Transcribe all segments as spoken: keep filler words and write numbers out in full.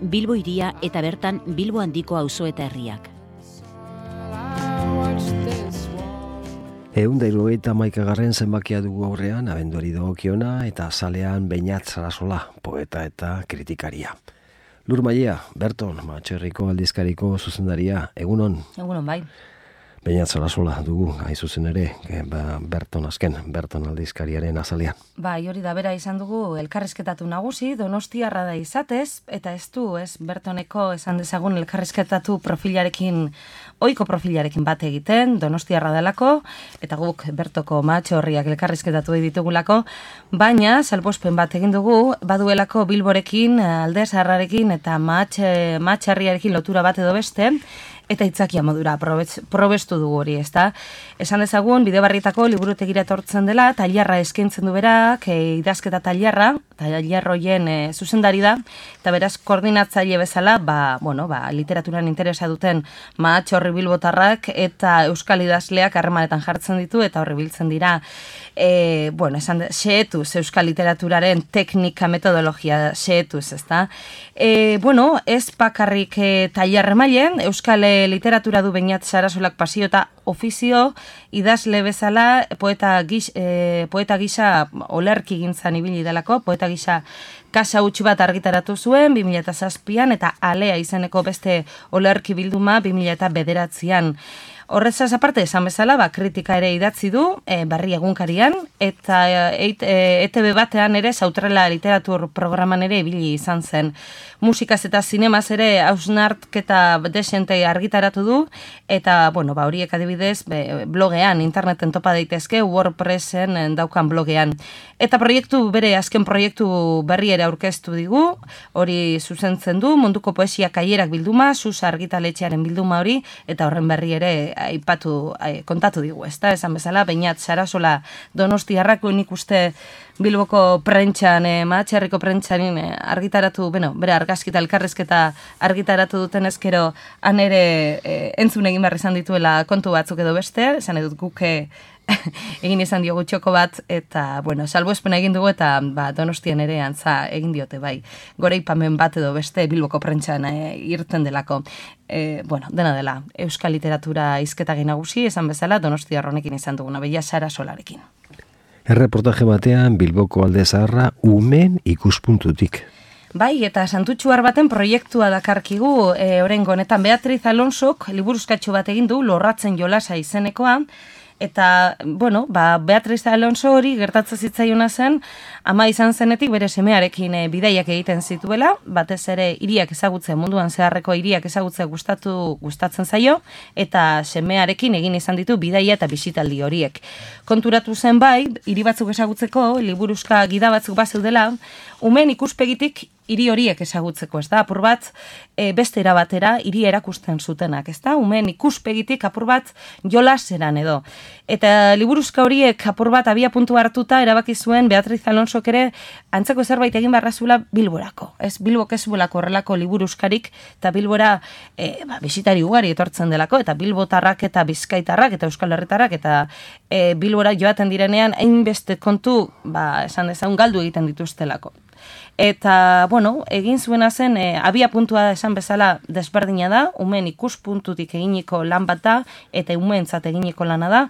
Bilbo hiria eta bertan Bilbo handiko auzo eta herriak. Ehun da hirurogeita hamaikagarren zenbakia dugu aurrean, abenduari dagokiona eta zalean Beñat Sarasola, poeta eta kritikaria. Lur Mailea, Berton, Matxerriko aldizkariko zuzendaria, egunon? Egunon, bai. Beñat Sarasola dugu, hain zuzen ere, ba, Berton azken, Berton aldizkariaren azalean. Bai, hori da bera izan dugu elkarrizketatu nagusi, Donostiarra da izatez, eta ez du, ez, Bertoneko esan dezagun elkarrizketatu profilarekin, ohiko profilarekin bat egiten, Donostiarra delako, eta guk Bertoko Matxorriak elkarrizketatu ditugulako, baina salbospen bat egin dugu, baduelako Bilborekin, Alde Zaharrarekin eta Matxarriarekin lotura bat edo beste, eta itzakia modura probestu dugu hori, ezta? Esan dezagun, Bidebarrietako liburutegira etortzen dela, tailerra eskaintzen du berak, e, idazketa tailerra, tailerroien e, zuzendari da, eta beraz koordinatzaile bezala, ba, bueno, ba, literaturan interesa duten Matxorri bilbotarrak eta euskal idazleak harremanetan jartzen ditu, eta horri biltzen dira, e, bueno, esan de, xehetuz euskal literaturaren teknika, metodologia xehetuz, ezta? E, bueno, ez bakarrik e, tailerre mailen, euskal literatura du Beñat Sarasolak pasio eta ofizio, idazle bezala, poeta, gix, e, poeta gisa olerki gintzan ibili delako, poeta gisa kasa utxi bat argitaratu zuen, bi mila zazpian, eta Alea izeneko beste olerki bilduma bi mila bederatzian. Horrezaz aparte, esan bezala, ba, kritika ere idatzi du, e, Barri egunkarian, eta e, e, E T B batean ere, Sautrela literatur programan ere ibili izan zen. Musikaz eta zinemaz ere hausnarketa desente argitaratu du, eta, bueno, ba, horiek adibidez, be, blogean, interneten topa daitezke, WordPressen daukan blogean. Eta proiektu, bere azken proiektu berri ere aurkeztu digu, hori zuzentzen du, munduko poesia kaierak bilduma, Susa argitaletxearen bilduma hori, eta horren berri ere aipatu, kontatu digu, ezta? Esan bezala, Beñat Sarasola Donostiarrako nik uste Bilboko prentxan, eh, Matxerriko prentxanin eh, argitaratu, bueno, bere argazkita elkarrezketa argitaratu duten ezkero han ere eh, entzun egin behar izan dituela kontu batzuk edo beste, esan edut guke egin izan diogu txoko bat, eta, bueno, salbuespen egin dugu eta ba, Donostian ere antza egin diote, bai, goreipamen bat edo beste Bilboko prentxan eh, irten delako. E, bueno, dena dela, euskal literatura hizketagin nagusi, esan bezala, Donostiarronekin izan duguna, Beñat Sarasolarekin. Erreportaje batean Bilboko Alde Zaharra umen ikuspuntutik. Bai, eta Santutxuar baten proiektua dakarkigu, e, orengo honetan Beatriz Alonsok liburuzkatxo bat egin du, Lorratzen jolasa izenekoa, eta, bueno, ba, Beatriz Alonso hori gertatzen zitzaiona zen, ama izan zenetik bere semearekin e, bidaiak egiten zituela, batez ere hiriak ezagutzen, munduan zeharreko hiriak ezagutzen gustatu gustatzen zaio, eta semearekin egin izan ditu bidaia eta bisitaldi horiek. Konturatu zen bai, hiri batzuk ezagutzeko, liburuzka gida batzuk bazeudela, umen ikuspegitik hiri horiek ezagutzeko, ez da, apur bat e, beste erabatera hiri erakusten zutenak, ez da, umen ikuspegitik apur bat jolaseran edo. Eta liburuzka horiek apur bat abia puntu hartuta erabaki zuen Beatriz Alonsok ere antzeko zerbait egin barrazula Bilborako. Ez, Bilbok ez bulako horrelako liburuzkarik, eta Bilbora e, ba, bisitari ugari etortzen delako, eta Bilbotarrak eta Bizkaitarrak eta Euskal Herritarrak, eta e, Bilbora joaten direnean hainbeste kontu, ba, esan dezagun galdu egiten dituztelako. Eta, bueno, egin zuena zen, e, abia puntua esan bezala desberdina da, umen ikuspuntutik eginiko lan bat da, eta umentzat eginiko lana da,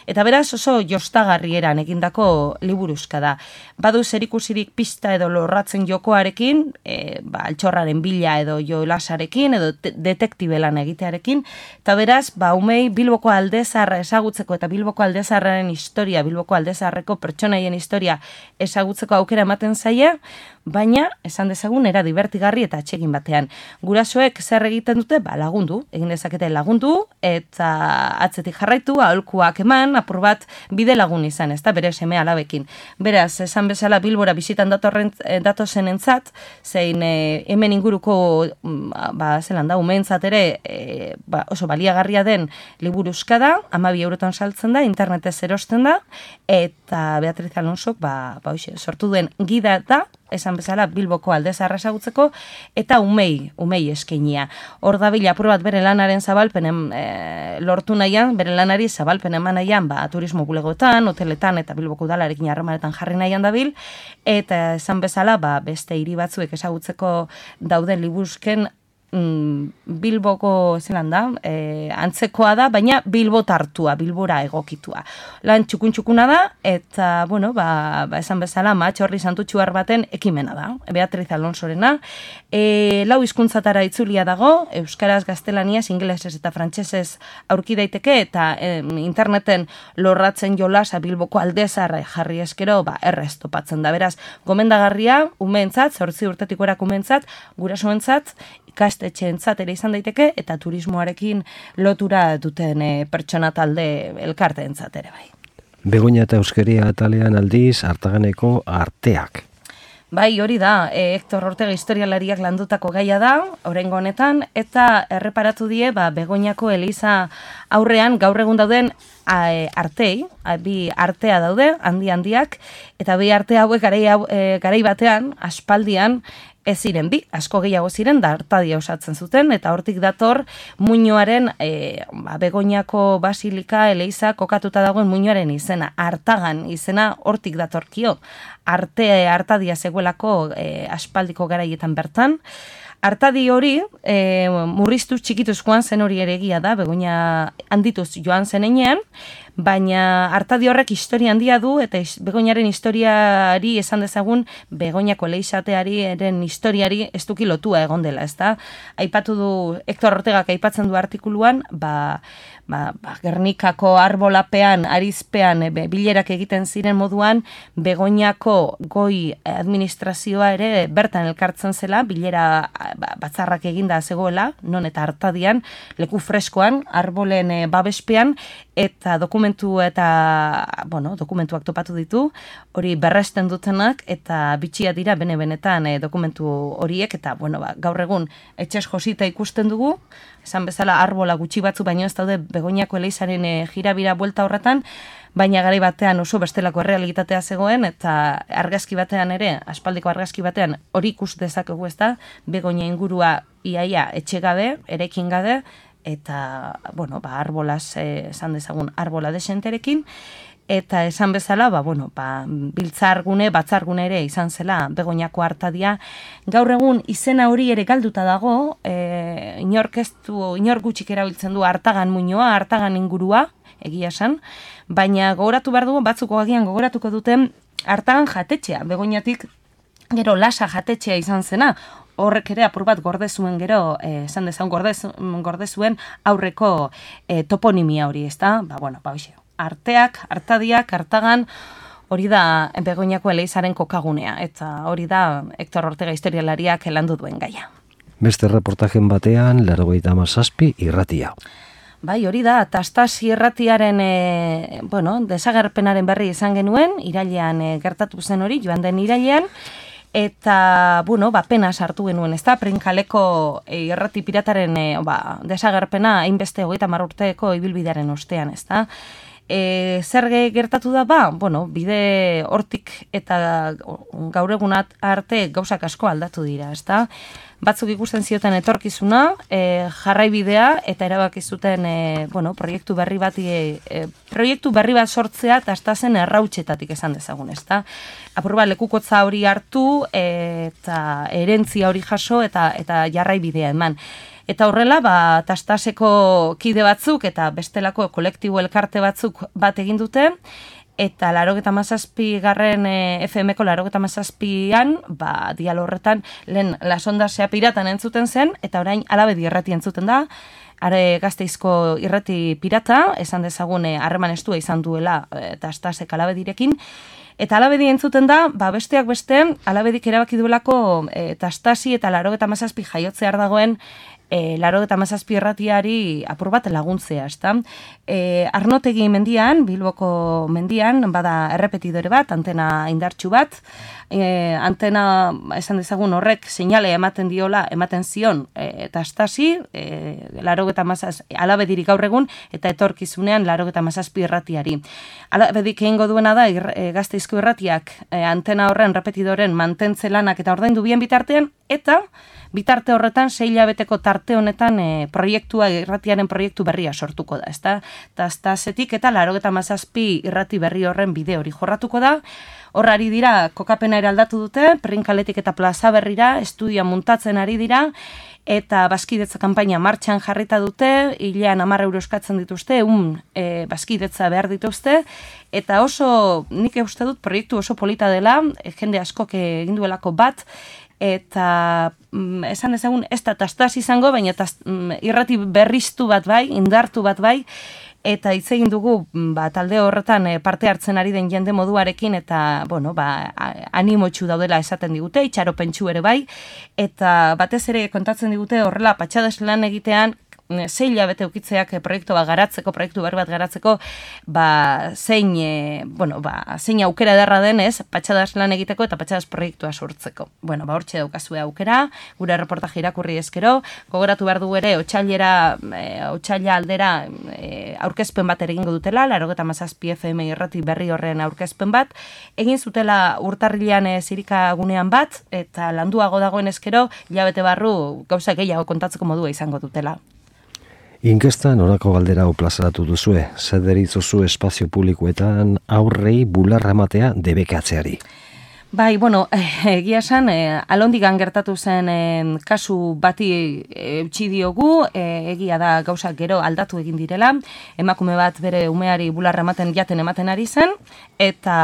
eta beraz oso jostagarrieran egindako liburuzka da. Badu zerikusirik pista edo Lorratzen jokoarekin, e, ba, altxorraren bila edo jolasarekin, edo detektibe lan egitearekin, eta beraz, ba, umei Bilboko Alde Zaharra ezagutzeko eta Bilboko Alde Zaharraren historia, Bilboko Alde Zaharreko pertsonaien historia ezagutzeko aukera ematen zaie, baina, esan dezagun, era divertigarri eta atsegin batean. Gurasoek zer egiten dute? Ba, lagundu, egin dezakete lagundu, eta atzetik jarraitu, aholkuak eman, apur bat bide lagun izan, ez da, bere seme alabekin. Beraz, esan bezala Bilbora bisitan datorren, datozen entzat, zein e, hemen inguruko, ba, zelan da, umeentzat ere, e, ba, oso baliagarria den liburuzka da, hamabi eurotan saltzen da, internetez erosten da, eta Beatriz Alonsok, ba, ba, oixe, sortu duen gida da, esan bezala Bilboko Alde Zaharra ezagutzeko, eta umei, umei eskainia. Hor dabil apur bat bere lanaren zabalpenen e, lortu nahian, bere lanari zabalpen eman nahian, ba, turismo bulegoetan, hoteletan eta Bilboko Udalarekin harremanetan jarri nahian dabil, eta esan bezala, ba, beste hiri batzuek ezagutzeko dauden libuzken Bilboko zelan da, e, antzekoa da, baina Bilbo tartua, Bilbora egokitua. Lan txukun-txukuna da, eta, bueno, ba, ba esan bezala, matxorri santutxuar baten ekimena da, Beatriz Alonsorena. E, lau hizkuntzatara itzulia dago, euskaraz, gaztelaniaz, ingelesez eta frantsesez aurki daiteke, eta e, interneten lorratzen jolasa Bilboko Alde Zaharra jarri eskero, ba, errez topatzen da. Beraz, gomendagarria, umeentzat, zortzi urtetik gorak umeentzat, gurasoentzat, ikastetxeentzat ere izan daiteke, eta turismoarekin lotura duten e, pertsona talde elkarteentzat ere bai. Begoña eta Euskeria atalean aldiz, Artaganeko arteak. Bai, hori da, e, Hector Ortega historialariak landutako gaia da, oraingo honetan, eta erreparatu die, ba, Begoñako eliza aurrean gaur egun dauden a, e, artei, a, bi artea daude, handi handiak, eta bi arte hauek garai, e, garai batean, aspaldian, ez ziren bi, asko gehiago ziren, da Artadia osatzen zuten, eta hortik dator muinoaren, e, ba, Begoñako basilika, eleiza, kokatuta dagoen muinoaren izena, Artagan izena hortik datorkio, arte Artadia zegoelako e, aspaldiko garaietan bertan. Artadi hori, e, murriztuz txikituz joan zen hori ere egia da, Begoña handituz joan zen enean, baina Artadi horrek historia handia du, eta Begoñaren historiari esan dezagun, Begoñako leizateari eren historiari ez duki lotua egon dela, ezta? Aipatu du, Hector Ortegak aipatzen du artikuluan, ba, ba, ba, Gernikako arbolapean, arizpean, e, bilerak egiten ziren moduan, Begoñako goi administrazioa ere bertan elkartzen zela, bilera ba, batzarrak eginda zegoela, non eta Artadian, leku freskoan, arbolen e, babespean, eta dokumentu eta, bueno, dokumentuak topatu ditu, hori berresten dutenak, eta bitxia dira bene-benetan e, dokumentu horiek, eta, bueno, ba, gaur egun etxez josita ikusten dugu, esan bezala arbola gutxi batzu, baino ez daude Begoñako eleizaren e, jirabira buelta horretan, baina garai batean oso bestelako errealitatea zegoen, eta argazki batean ere, aspaldiko argazki batean, hori ikus dezakegu ez da, Begoña ingurua iaia etxe gabe, erekin gabe, eta, bueno, ba, arbolaz, eh, esan dezagun, arbola desenterekin, eta esan bezala, ba, bueno, ba, biltzargune, batzargune ere izan zela Begoñako Artadia. Gaur egun izena hori ere galduta dago, e, inork ez du, inor gutxik erabiltzen du Artagan muinoa, Artagan ingurua, egia esan, baina gogoratu behar dugu, batzuko agian gogoratuko duten Artagan jatetxea, Begoñatik gero Lasa jatetxea izan zena, horrek ere apur bat gorde zuen gero, eh, esan dezagun gorde, gorde zuen aurreko eh, toponimia hori, ezta? Ba, bueno, ba, hoxe, arteak, Artadiak, Artagan, hori da Begoñako eleizaren kokagunea, eta hori da Hector Ortega historialariak landu duen gaia. Beste reportajen batean, laurogeita hamazazpi irratia. Bai, hori da, Tastasi irratiaren, e, bueno, desagerpenaren berri izan genuen, irailean e, gertatu zen hori, joan den irailean, eta, bueno, ba, pena sartu genuen, ez da, Prinkaleko e, irrati pirataren e, ba, desagerpena hainbeste hogeita hamar urteko ibilbidearen ostean, ez da. E, zer gertatu da, ba, bueno, bide hortik eta gaur egunat arte gauzak asko aldatu dira, ez da. Batzuk ikusten zioten etorkizuna, e, jarraibidea eta erabaki zuten e, bueno, proiektu berri bat e, proiektu berri bat sortzea Tastasen errautxetatik esan dezagun, ezta? Apur bat lekukotza hori hartu e, eta herentzia hori jaso eta eta jarraibidea eman. Eta horrela, ba, Tastaseko kide batzuk eta bestelako kolektibo elkarte batzuk bat egin dute, eta laurogeita hamazazpi garren e, F M ko laurogeita hamazazpian, ba, dialo horretan, lehen lasondasea piratan entzuten zen, eta orain Alabedi irrati entzuten da, are Gasteizko irrati pirata, esan dezagun harreman estua izan duela e, Tastasek Alabedirekin, eta Alabedi entzuten da, ba, besteak beste, Alabedik erabaki duelako e, Tastasi eta laurogeita hamazazpi jaiotzear dagoen e, laro eta mazazpi irratiari apur bat laguntzea, ezta? E, Arnotegi mendian, Bilboko mendian, bada errepetidore bat, antena indartsu bat, e, antena, esan dezagun horrek, seinale ematen diola, ematen zion, e, eta astasi, e, laro eta mazaz, alabedirik gaur egun, eta etorkizunean laro eta mazazpi irratiari. Alabedik egingo duena da, ir, e, Gasteizko irratiak, e, antena horren, repetidoren, mantentze lanak eta ordaindu bien bitartean, eta bitarte horretan, sei hilabeteko tarte honetan e, proiektua, irratiaren proiektu berria sortuko da, ezta? Eta aztazetik eta laro eta mazazpi irrati berri horren bide hori jorratuko da. Horrari dira, kokapena ere aldatu dute, Prinkaletik eta Plaza Berrira, estudia muntatzen ari dira, eta bazkidetza kanpaina martxan jarrita dute, hilean hamar euro eskatzen dituzte, un e, bazkidetza behar dituzte, eta oso, nik uste dut, proiektu oso polita dela, e, jende askok egin duelako bat, eta mm, esan ezagun ez da tastaz izango, baina taz, mm, irrati berriztu bat bai, indartu bat bai, eta hitz egin dugu ba, talde horretan e, parte hartzen ari den jende moduarekin, eta bueno, ba, animotxu daudela esaten digute, itxaropentsu ere bai, eta batez ere kontatzen digute horrela patxades lan egitean, sei hilabete ukitzeak proiektu bat garatzeko, proiektu berri bat garatzeko, ba, zein, e, bueno, ba, zein aukera ederra denez, patxadas lan egiteko eta patxadas proiektua sortzeko. Bueno, ba, hortxe daukazue aukera, gure reportaje irakurri eskero, gogoratu behar du ere, otxailera, e, otxaila aldera e, aurkezpen bat ere egingo dutela, larogeta mazazpi F M irrati berri horren aurkezpen bat, egin zutela urtarrilean e, zirika gunean bat, eta landuago dagoen eskero, hilabete barru gauza gehiago kontatzeko modua izango dutela. Inkestan orako galdera hau plazaratu duzue, zer deritzozu espazio publikoetan aurrei bularra ematea debekatzeari. Bai, bueno, egia esan, eh, alondigan gertatu zen eh, kasu bati eutxi diogu, eh, egia da gauzak gero aldatu egin direla, emakume bat bere umeari bularra ematen jaten ematen ari zen, eta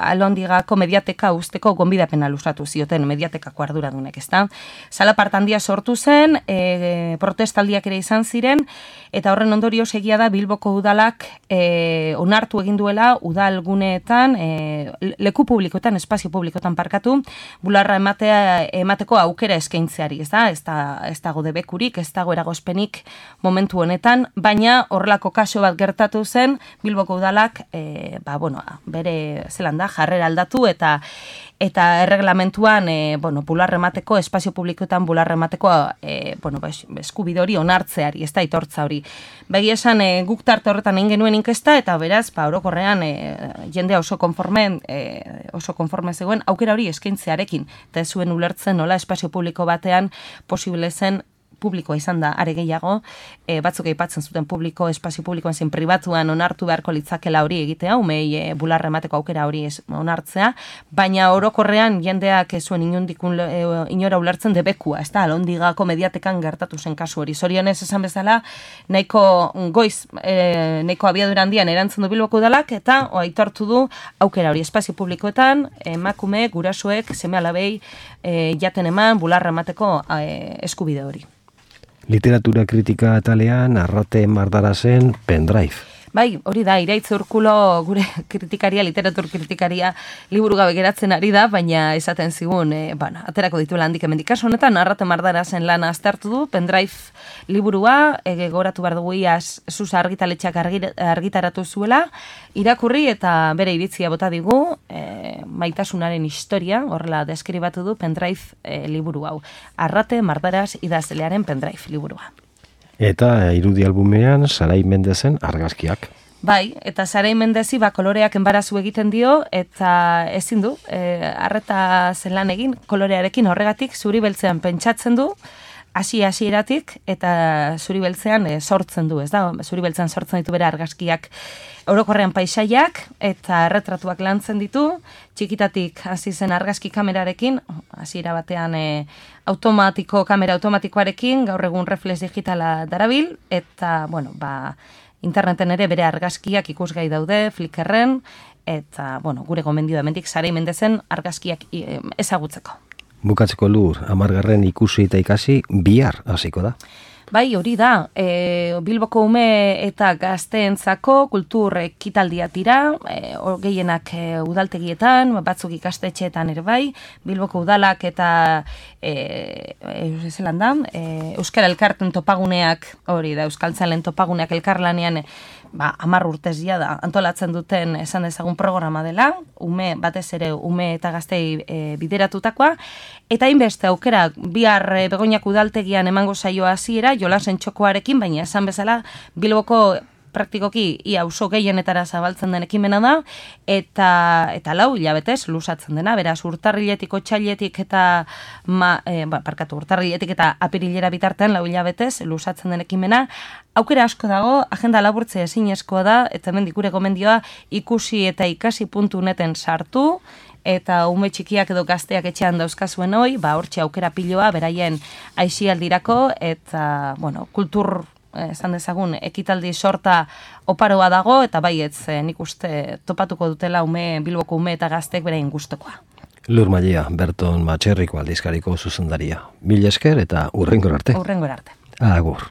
alondigako mediateka usteko gonbidapena luzatu zioten mediatekako arduradunek, ezta? Salapart handia sortu zen, eh, protestaldiak ere izan ziren, eta horren ondorioz egia da Bilboko udalak eh, onartu egin duela udalguneetan, eh, leku publikoetan, espazio publiko tan parkatu, bularra ematea emateko aukera eskaintzeari, ez da? Ez da, ez dago debekurik, ez dago eragozpenik momentu honetan, baina horrelako kaso bat gertatu zen, Bilboko udalak, e, ba, bueno, bere zelan da, jarrera aldatu eta eta erreglamentuan, e, bueno, bularra emateko, espazio publikoetan bularra emateko, e, bueno, eskubide hori onartzeari, ez da itortza hori. Begi esan, e, guk tarte horretan egin genuen inkesta, eta beraz, ba, orokorrean, e, jendea oso konforme, e, oso konforme zegoen, aukera hori eskaintzearekin, eta ez zuen ulertzen nola espazio publiko batean posible zen publikoa izan da, are gehiago, e, batzuk aipatzen zuten publiko, espazio publikoan zen pribatuan onartu beharko litzakela hori egitea, umei e, bularra emateko aukera hori ez, onartzea, baina orokorrean jendeak ez zuen inondikun e, inora ulertzen debekua, ez da, alondigako mediatekan gertatu zen kasu hori. Zorionez esan bezala, nahiko goiz, e, nahiko abiadura handian erantzun du Bilboko udalak, eta aitortu du aukera hori espazio publikoetan, emakume, gurasoek, seme alabei, e, jaten eman, bularra emateko e, eskubide hori. Literatura kritika atalean Arrate Mardarasen pendrive. Bai, hori da, Iraitz Urkulo gure kritikaria, literatur kritikaria liburu gabe geratzen ari da, baina esaten zigun, e, bueno, aterako dituela handik hemendik. Kasu honetan, Arrate Mardarasen lana aztertu du, pendrive liburua, e, goratu behar dugu iaz, Susa argitaletxak argitaratu zuela, irakurri eta bere iritzia bota digu, e, maitasunaren historia, horrela deskribatu du pendrive e, liburu hau. Arrate Mardaras idazlearen pendrive liburua. Eta irudi albumean Sarai Mendezen argazkiak. Bai, eta Sarai Mendezi ba, koloreak enbarazu egiten dio, eta ezin du, e, arreta zelan egin, kolorearekin horregatik zuri beltzean pentsatzen du, hasi hasieratik eta zuri beltzean e, sortzen du, ez da? Zuri beltzean sortzen ditu bere argazkiak, orokorrean paisaiak eta erretratuak lantzen ditu, txikitatik hasi zen argazki kamerarekin, hasiera batean e, automatiko, kamera automatikoarekin, gaur egun reflex digitala darabil, eta, bueno, ba, interneten ere bere argazkiak ikusgai daude, Flickrren, eta, bueno, gure gomendio hemendik Sarai Mendezen argazkiak e, ezagutzeko. Bukatzeko lur, amargarren ikusi eta ikasi bihar hasiko da. Bai, hori da, e, Bilboko ume eta gazteentzako kultur ekitaldia dira, e, gehienak e, udaltegietan, batzuk ikastetxeetan ere bai, Bilboko udalak eta e, e, zelan da, e, Euskara Elkarten topaguneak, hori da, Euskaltzalen topaguneak elkarlanean, ba, hamar urtezia da, antolatzen duten esan dezagun programa dela, ume, batez ere ume eta gaztei e, bideratutakoa, eta hainbeste aukera bihar e, Begoñak udaltegian emango saioa hasiera jolasen txokoarekin, baina esan bezala Bilboko praktikoki ia auzo gehienetara zabaltzen den ekimena da, eta eta lau hilabetez luzatzen dena, beraz urtarriletik otsailetik eta ma, e, ba, parkatu urtarriletik eta apirilera bitartean lau hilabetez luzatzen den ekimena. Aukera asko dago, agenda laburtzea ezinezkoa da, eta hemen gure gomendioa ikusi eta ikasi puntu neten sartu, eta ume txikiak edo gazteak etxean dauzkazuen hoi, ba hortxe aukera piloa beraien aisialdirako, eta bueno, kultur esan dezagun, ekitaldi sorta oparoa dago, eta baietz nik uste topatuko dutela ume, Bilboko ume eta gaztek beraien gustokoa. Lur Mailea, Berton Matxerriko aldizkariko zuzendaria. Mil esker eta urrengor arte. Urrengor arte. Agur.